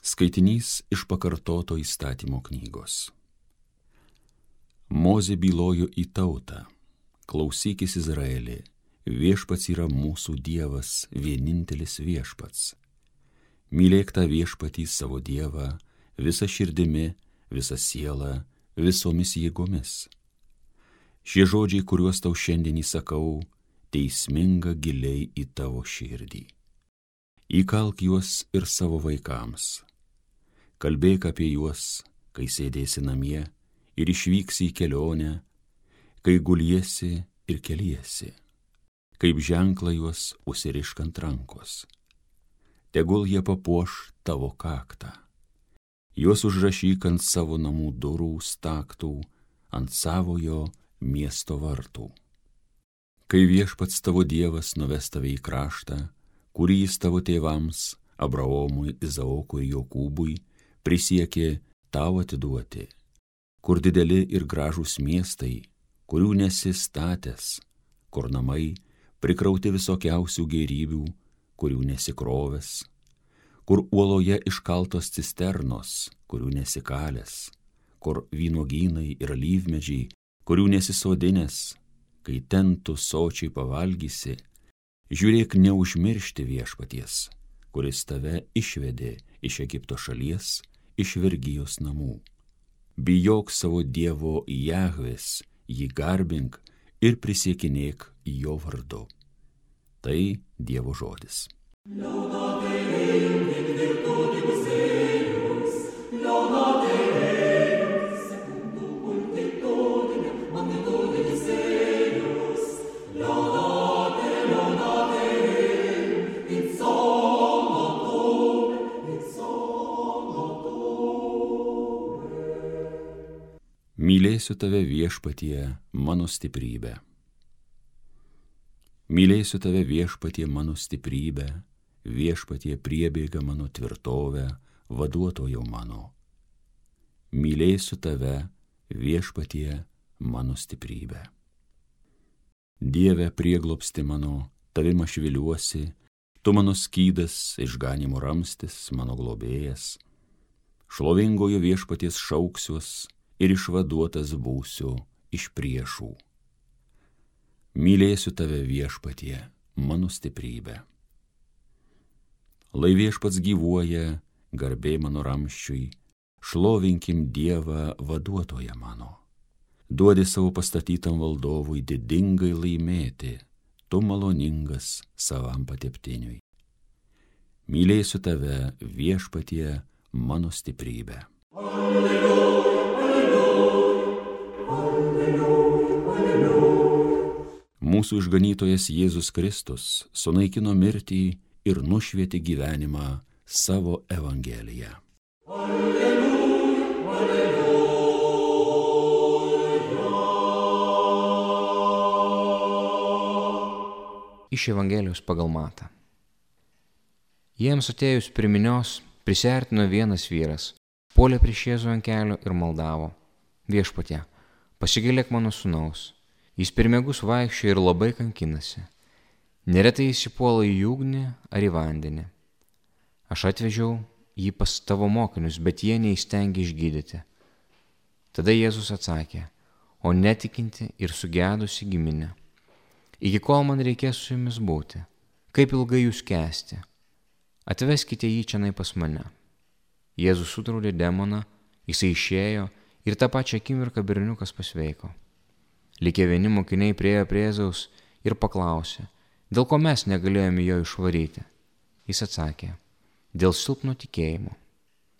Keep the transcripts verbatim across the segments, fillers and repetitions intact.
Skaitinys iš pakartoto įstatymo knygos. Mozė bylojo į tautą: klausykis Izraeli, viešpats yra mūsų Dievas, vienintelis viešpats. Mylėk tą viešpatį savo Dievą visą širdimi, visą sielą, visomis jėgomis. Šie žodžiai, kuriuos tau šiandien įsakau, teisminga giliai į tavo širdį. Įkalk juos ir savo vaikams. Kalbėk apie juos, kai sėdėsi namie ir išvyksi į kelionę, kai guliesi ir keliesi, kaip ženklą juos užsirišk ant rankos. Tegul jie papuoš tavo kaktą. Juos užrašyk ant savo namų durų staktų, ant savojo miesto vartų. Kai viešpats tavo Dievas nuves tave į kraštą, kurį jis tavo tėvams, Abraomui, Izaokui ir Jokūbui, prisiekė tau atiduoti, kur dideli ir gražūs miestai, kurių nesi statęs, kur namai prikrauti visokiausių gėrybių, kurių nesikrovęs, kur uoloje iškaltos cisternos, kurių nesikalęs, kur vynuogynai ir alyvmedžiai, kurių nesisodinęs, kai ten tu sočiai pavalgysi, žiūrėk neužmiršti viešpaties, kuris tave išvedė iš Egipto šalies, iš vergijos namų. Bijok savo Dievo Jahvės, jį garbink ir prisiekinėk jo vardu. Tai Dievo žodis. Mylėsiu tave viešpatie, mano stiprybė. Mylėsiu tave viešpatie, mano stiprybė, viešpatie priebėga mano tvirtovę, vaduotojau mano. Mylėsiu tave viešpatie, mano stiprybė. Dieve prieglobsti mano, tavim aš viliuosi, tu mano skydas, išganimo ramstis, mano globėjas. Šlovingojo viešpaties šauksiuos, ir išvaduotas būsiu iš priešų. Mylėsiu tave viešpatie, mano stiprybė. Lai viešpats gyvuoja, garbė mano ramsčiui, šlovinkim Dievą vaduotoją mano. Duodi savo pastatytam valdovui didingai laimėti, tu maloningas savam pateptiniui. Mylėsiu tave viešpatie, mano stiprybė. Alleluja. Mūsų išganytojas Jėzus Kristus sunaikino mirtį ir nušvietė gyvenimą savo Evangeliją. Alleluja, alleluja. Iš Evangelijos pagal Matą. Jiems atėjus prie minios, prisiartino vienas vyras, puolė prieš Jėzų ant kelio ir maldavo: Viešpatie, pasigailėk mano sūnaus. Jis per miegus vaikščioja ir labai kankinasi. Neretai jis įpuola į ugnį ar į vandenį. Aš atvežiau jį pas tavo mokinius, bet jie neįstengė išgydyti. Tada Jėzus atsakė: o netikinti ir sugedusi giminė, iki kol man reikės su jumis būti, kaip ilgai jūs kęsti? Atveskite jį čionai pas mane. Jėzus sudraudė demoną, jisai išėjo ir tą pačią akimirką berniukas pasveiko. Likę vieni mokiniai priėjo prie Jėzaus ir paklausė: dėl ko mes negalėjome jo išvaryti? Jis atsakė: dėl silpno tikėjimo.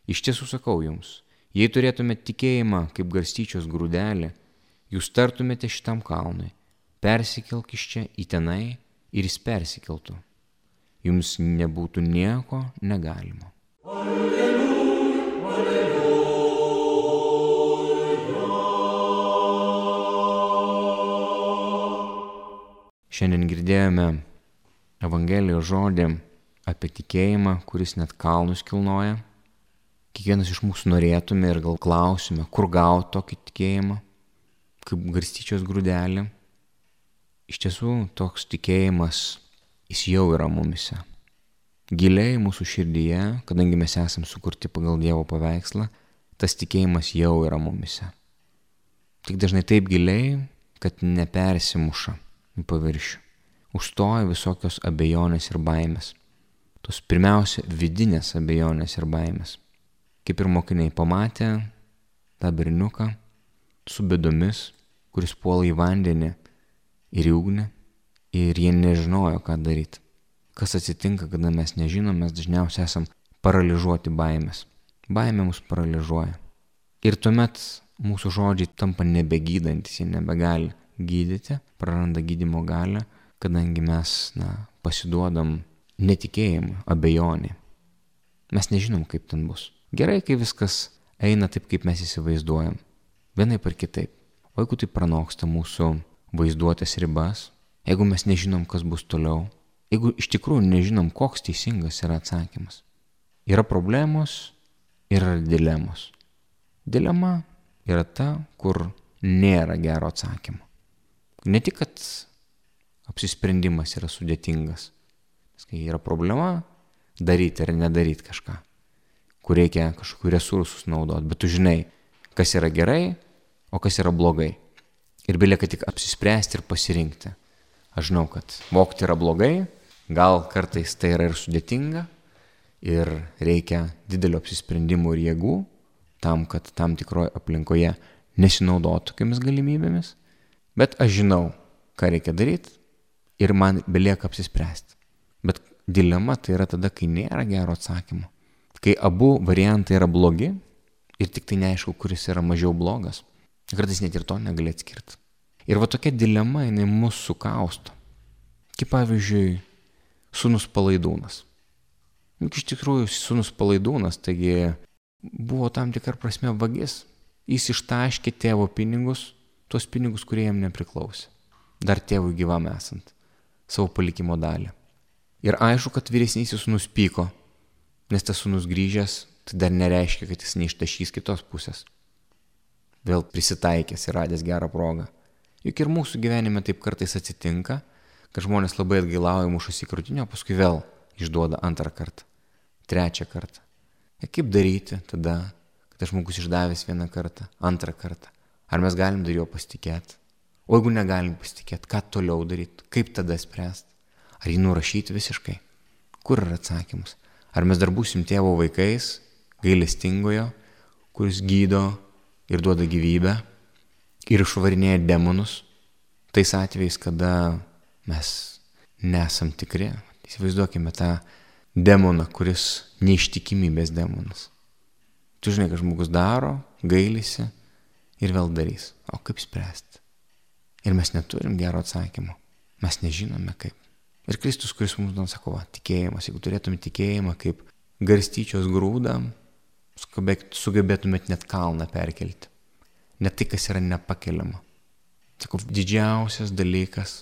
Iš tiesų sakau jums, jei turėtumėte tikėjimą kaip garstyčios grūdelį, jūs tartumėte šitam kalnui: persikelk iš čia į tenai, ir jis persikeltų. Jums nebūtų nieko negalimo. Alleluja, alleluja. Šiandien girdėjome Evangelijos žodį apie tikėjimą, kuris net kalnus kilnoja. Kiekvienas iš mūsų norėtume ir gal klausime, kur gauti tokį tikėjimą, kaip garstyčios grūdelį. Iš tiesų, toks tikėjimas, jis jau yra mumise. giliai mūsų širdyje, kadangi mes esam sukurti pagal Dievo paveikslą, tas tikėjimas jau yra mumise. Tik dažnai taip giliai, kad nepersimuša į paviršių. Užstoja visokios abejonės ir baimės. Tos pirmiausia vidinės abejonės ir baimės. Kaip ir mokiniai pamatė tą berniuką su bėdomis, kuris puola į vandenį ir į ugnį, ir jie nežinojo, ką daryti. Kas atsitinka, kada mes nežinom, mes dažniausiai esam paralyžuoti baimės. Baimė mus paralyžuoja. Ir tuomet mūsų žodžiai tampa nebegydantis, jie nebegali gydyti, praranda gydymo galią, kadangi mes na, pasiduodam netikėjimui, abejonė. Mes nežinom, kaip ten bus. Gerai, kai viskas eina taip, kaip mes įsivaizduojam. Vienaip ar kitaip. O jeigu tai pranoksta mūsų vaizduotės ribas, jeigu mes nežinom, kas bus toliau, jeigu iš tikrųjų nežinom, koks teisingas yra atsakymas. Yra problemos ir yra dilemos. Dilema yra ta, kur nėra gero atsakymo. Ne tik, kad apsisprendimas yra sudėtingas. Kai yra problema, daryti ar nedaryti kažką, kur reikia kažkokių resursus naudoti, bet tu žinai, kas yra gerai, o kas yra blogai. Ir belieka tik apsispręsti ir pasirinkti. Aš žinau, kad vogti yra blogai, gal kartais tai yra ir sudėtinga ir reikia didelio apsisprendimų ir jėgų tam, kad tam tikroje aplinkoje nesinaudotų tokiamis galimybėmis, bet aš žinau, ką reikia daryti ir man belieka apsispręsti. Bet dilema tai yra tada, kai nėra gero atsakymo, kai abu variantai yra blogi ir tik tai neaišku, kuris yra mažiau blogas. Kartais net ir to negali atskirti. Ir va tokia dilema, jinai mus sukausto. Kaip pavyzdžiui, sūnus Palaidūnas. Juk iš tikrųjų sūnus Palaidūnas, taigi buvo tam tikra prasme vagis. Jis ištaškė tėvo pinigus, tuos pinigus, kurie jam nepriklausė. Dar tėvui gyvam esant, savo palikimo dalį. Ir aišku, kad vyresnysis sūnus pyko, nes tas sūnus grįžęs, tai dar nereiškia, kad jis neištašys kitos pusės. Vėl prisitaikęs ir radęs gerą progą. Juk ir mūsų gyvenime taip kartais atsitinka, kad žmonės labai atgailauja, mušasi į krūtinę, o paskui vėl išduoda antrą kartą, trečią kartą. Ir kaip daryti tada, kad žmogus išdavęs vieną kartą, antrą kartą? Ar mes galim dar jo pasitikėti? O jeigu negalim pasitikėti, ką toliau daryti? Kaip tada spręsti? Ar jį nurašyti visiškai? Kur yra atsakymas? Ar mes dar būsim tėvo vaikais, gailestingojo, kuris gydo ir duoda gyvybę ir išvarinėja demonus, tais atvejais, kada mes nesam tikri. Įsivaizduokime tą demoną, kuris neištikimybės demonas. Tu žinai, kad žmogus daro, gailisi ir vėl darys. O kaip spręsti? Ir mes neturim gero atsakymo. Mes nežinome kaip. Ir Kristus, kuris mums duoda, sako, va, tikėjimas. Jeigu turėtume tikėjimą kaip garstyčios grūdą, sugebėtumėt net kalną perkelti. Net tai, kas yra nepakeliama. Sako, didžiausias dalykas,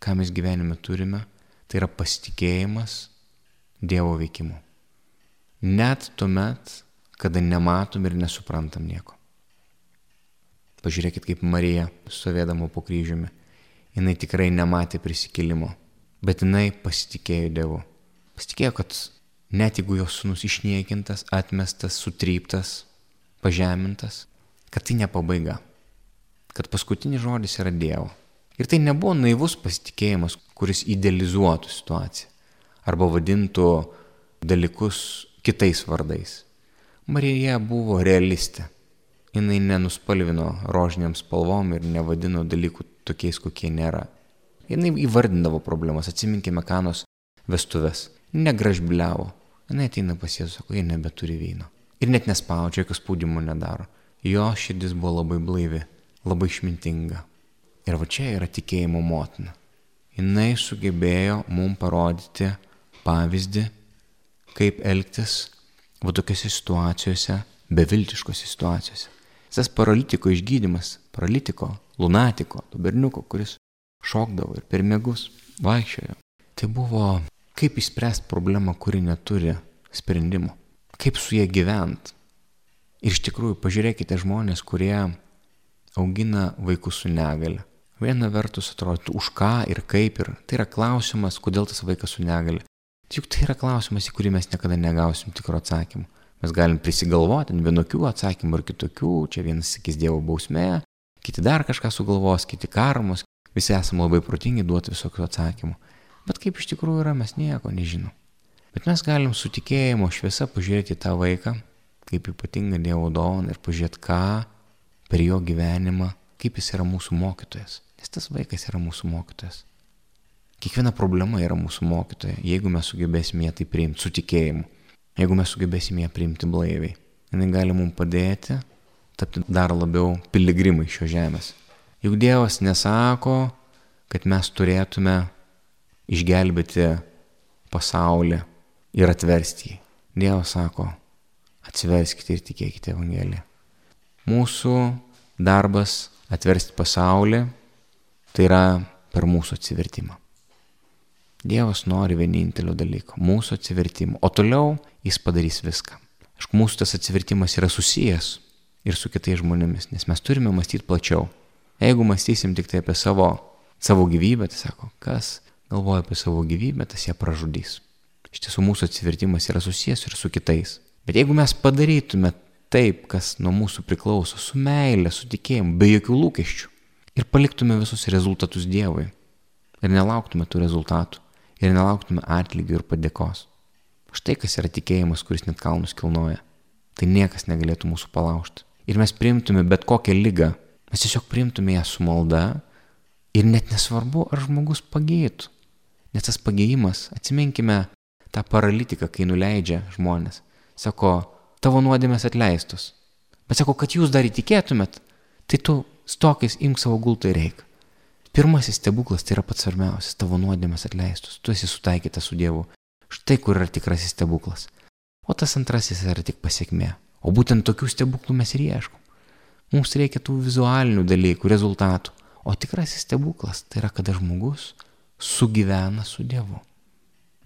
ką mes gyvenime turime, tai yra pasitikėjimas Dievo veikimu. Net tuomet, kada nematom ir nesuprantam nieko. Pažiūrėkit, kaip Marija, stovėdama po kryžiumi, jinai tikrai nematė prisikėlimo, bet jinai pasitikėjo Dievu. Pasitikėjo, kad net jeigu jos sūnus išniekintas, atmestas, sutryptas, pažemintas, kad tai ne pabaiga, kad paskutinis žodis yra Dievo. Ir tai nebuvo naivus pasitikėjimas, kuris idealizuotų situaciją arba vadintų dalykus kitais vardais. Marija buvo realistė. Jinai nenuspalvino rožiniam spalvom ir nevadino dalykų tokiais, kokie nėra. Jinai įvardindavo problemas, atsiminkime Kanos vestuves. Negražbiliavo. Jinai ateina pas Jėzų, sako, jie nebeturi vyno. Ir net nespaudžia, jokio spaudimo nedaro. Jo širdis buvo labai blaivi, labai išmintinga. Ir va čia yra tikėjimo motina. Jinai sugebėjo mums parodyti pavyzdį, kaip elgtis va tokiose situacijose, beviltiškose situacijose. Tas paralitiko išgydymas, paralitiko, lunatiko, to berniuko, kuris šokdavo ir per miegus vaikščiojo. Tai buvo, kaip išspręsti problemą, kuri neturi sprendimo. Kaip su jie gyventi. Ir iš tikrųjų, pažiūrėkite žmonės, kurie augina vaikus su negale. Viena vertus atrodo, už ką ir kaip ir. Tai yra klausimas, kodėl tas vaikas su negale. Juk tai yra klausimas, į kurį mes niekada negausim tikro atsakymų. Mes galim prisigalvoti vienokių atsakymų ir kitokių, čia vienas sakys Dievo bausmė, kiti dar kažką sugalvos, kiti karmos, visi esame labai protingi duoti visokių atsakymų. Bet kaip iš tikrųjų yra, mes nieko nežinom. Bet mes galim su tikėjimo šviesa pažiūrėti į tą vaiką, kaip ypatingą Dievo dovaną ir pažiūrėti, ką per jo gyvenimą, kaip jis yra mūsų mokytojas. Nes tas vaikas yra mūsų mokytojas. Kiekviena problema yra mūsų mokytoja, jeigu mes sugebėsime ją tai priimti su tikėjimu, jeigu mes sugebėsime ją priimti blaiviai. Jis gali mums padėti tapti dar labiau piligrimai šios žemės. Juk Dievas nesako, kad mes turėtume išgelbėti pasaulį ir atversti jį. Dievas sako, atsiverskite ir tikėkite Evangeliją. Mūsų darbas atversti pasaulį, tai yra per mūsų atsivertimą. Dievas nori vienintelio dalyko, mūsų atsivertimo, o toliau jis padarys viską. Aišku, mūsų tas atsivertimas yra susijęs ir su kitais žmonėmis, nes mes turime mąstyti plačiau. Jeigu mąstysim tik tai apie savo, savo gyvybę, tai sako, kas galvoja apie savo gyvybę, tas ją pražudys. Iš tiesų mūsų atsivertimas yra susijęs ir su kitais. Bet jeigu mes padarytume taip, kas nuo mūsų priklauso, su meile, su tikėjimu, be jokių lūkesčių ir paliktume visus rezultatus Dievui ir nelauktume tų rezultatų, ir nelauktume atlygio ir padėkos. Štai kas yra tikėjimas, kuris net kalnus kilnoja. Tai niekas negalėtų mūsų palaužti. Ir mes priimtume bet kokią ligą. Mes tiesiog priimtume ją su malda ir net nesvarbu, ar žmogus pagėtų. Nes tas pagėjimas, atsiminkime tą paralitiką, kai nuleidžia žmonės. Sako, tavo nuodėmės atleistos. Bet sako, kad jūs dar įtikėtumėt, tai tu stokis imk savo gultą ir eik. Pirmasis stebuklas tai yra pats svarbiausias, tavo nuodėmės atleistus, tu esi sutaikytas su Dievu. Štai kur yra tikrasis stebuklas. O tas antrasis yra tik pasiekmė. O būtent tokių stebuklų mes ir ieškom. Mums reikia tų vizualinių dalykų, rezultatų. O tikrasis stebuklas tai yra, kada žmogus sugyvena su Dievu.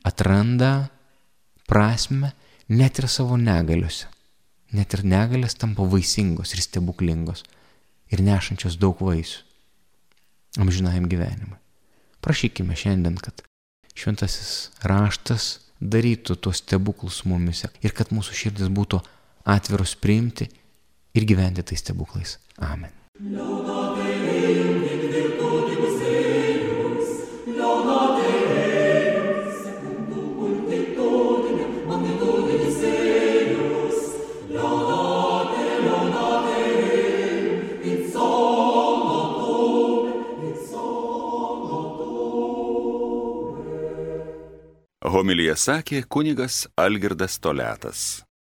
Atranda prasmę net ir savo negaliuose. Net ir negalės tampa vaisingos ir stebuklingos ir nešančios daug vaisių amžinajam gyvenimui. Prašykime šiandien, kad šventasis raštas darytų tuos stebuklus mumise ir kad mūsų širdis būtų atviros priimti ir gyventi tais stebuklais. Amen. Homiliją sakė kunigas Algirdas Toliatas.